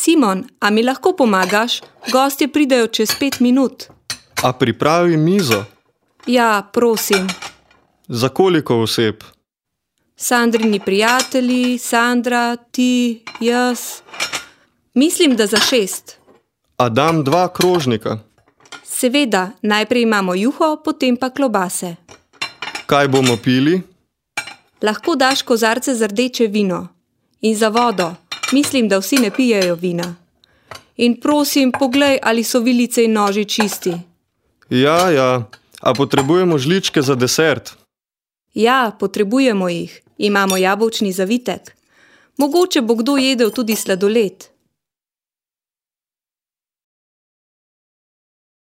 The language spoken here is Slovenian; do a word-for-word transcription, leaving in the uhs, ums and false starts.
Simon, a mi lahko pomagaš? Gostje pridejo čez pet minut. A pripravi mizo? Ja, prosim. Za koliko oseb? Sandrini prijatelji, Sandra, ti, jaz. Mislim, da za šest. A dam dva krožnika? Seveda, najprej imamo juho, potem pa klobase. Kaj bomo pili? Lahko daš kozarce za rdeče vino. In za vodo. Mislim, da vsi ne pijejo vina. In prosim, poglej, ali so vilice in noži čisti. Ja, ja. A potrebujemo žličke za desert? Ja, potrebujemo jih. Imamo jabolčni zavitek. Mogoče bo kdo jedel tudi sladoled.